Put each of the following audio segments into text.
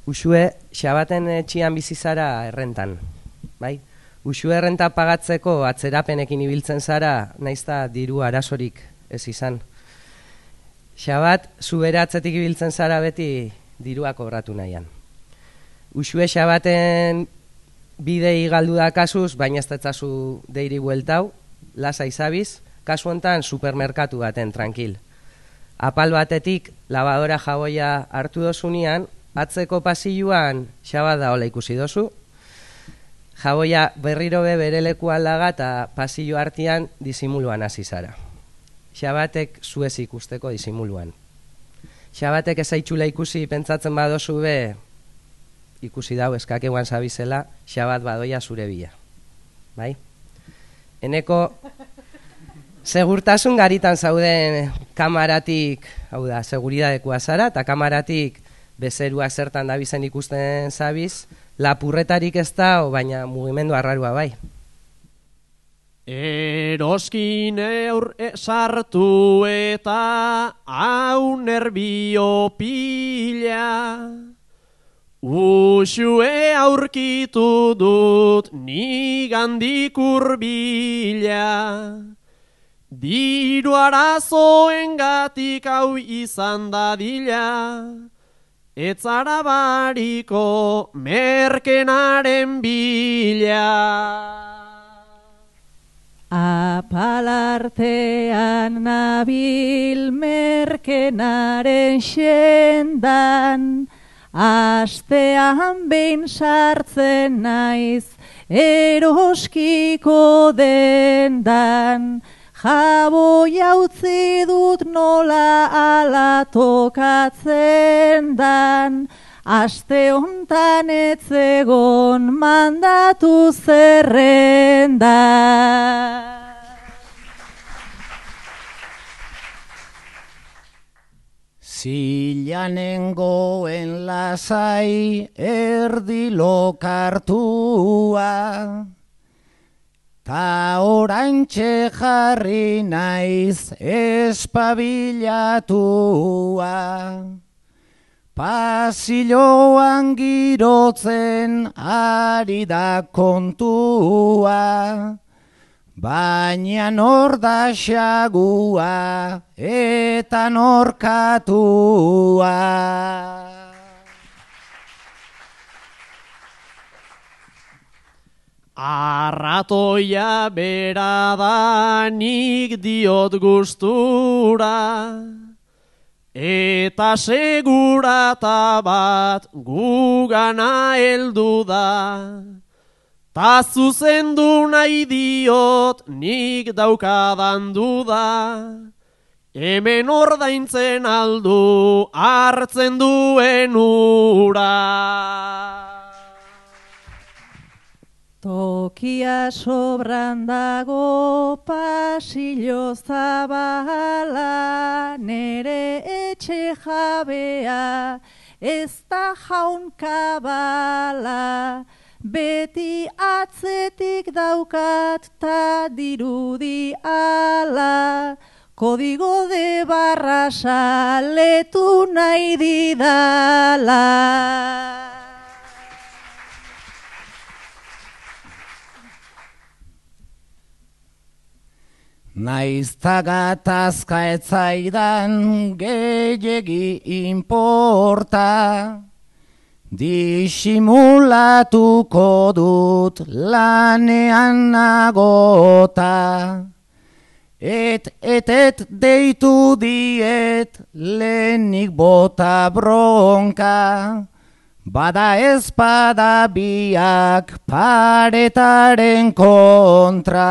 Uxue, xabaten etxian bizizara errentan, bai? Uxue errenta pagatzeko atzerapenekin ibiltzen zara, naizta diru arazorik ez izan. Xabat, zubere atzetik ibiltzen zara beti dirua kobratu nahian. Uxue xabaten bidei galdu da kasuz, baina ez tetzazu deiri bueltau, lasa izabiz, kasu hontan supermerkatu baten, tranquil. Apal batetik, lavadora jaboia hartu dozunean, atzeko pasilluan xabat da hola ikusi dozu, jaboia berriro bere lekuan laga eta pasillo artean disimuluan hasi zara. Xabatek zuez ikusteko disimuluan. Xabatek ezaitxula ikusi pentsatzen badozu be, ikusi dau eskakeuan zabizela, xabat badoia zure bila. Bai? Eneko segurtasun garitan zauden kamaratik, hau da, seguridadekoa zara, eta kamaratik bezerua zertan dabizen ikusten zabiz, lapurretarik ez da, baina mugimendu arrarua bai. Eroskin sartu eta hau nerbio pila, Uxue aurkitu dut nigandik urbila, diru arazoengatik hau izan dadila, etzara bariko merkenaren bila. Apalartean nabil merkenaren xendan, astean behin sartzen naiz eroskiko dendan, jaboia utzi dut nola ala tokatzen dan, aste hontan etzegon mandatu zerrenda. Zilanengoen lasai erdi lokartua, ta oraintxe jarri naiz espabilatua. Pasilloan girotzen ari da kontua, baina nor da xagua eta norkatua. Arratoia bera da nik diot gustura, eta segurata bat gugana heldu da. Ta zuzendu nahi diot nik daukadan duda, hemen ordaintzen aldu hartzen duen ura. Tokia sobran dago pasillo zabala, nere etxe jabea ez da jaunkabala, beti atzetik daukat ta dirudi ala, kodigo de barra letu nahi didala. Naizta gatazka etzaidan gehiegi inporta, disimulatuko dut lanean nagota. Et deitu diet lehenik bota bronka, bada ezpada biak paretaren kontra.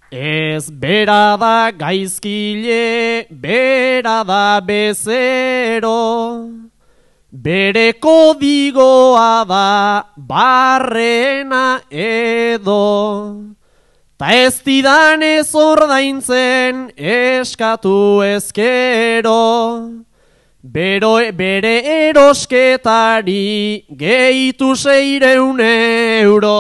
Ez bera da gaizkile, bera da bezero, bere kodigoa da barrena edo, ta ez didanez ordaintzen eskatu ezkero, bere erosketari gehitu 600 euro.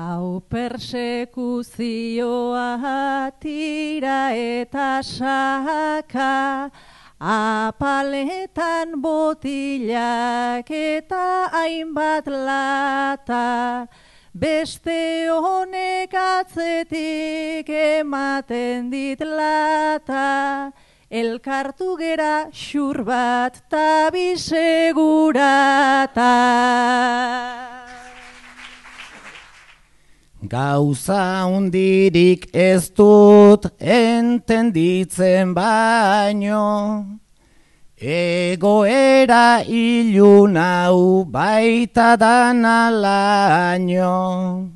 Hau Hau persekuzioa tira eta saka, apaletan botilak eta hainbat lata, beste honek atzetik ematen dit lata, elkartu gera xur bat ta bisegurata. Gauza hundirik ez dut entenditzen baino, egoera ilun hau baita dana laino.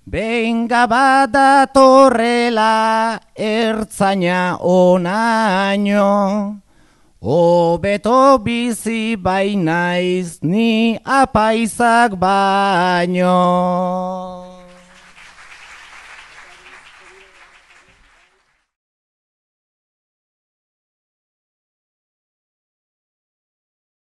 Benga badatorrela ertzaina onaino, hobeto bizi bainaiz ni apaizak baino.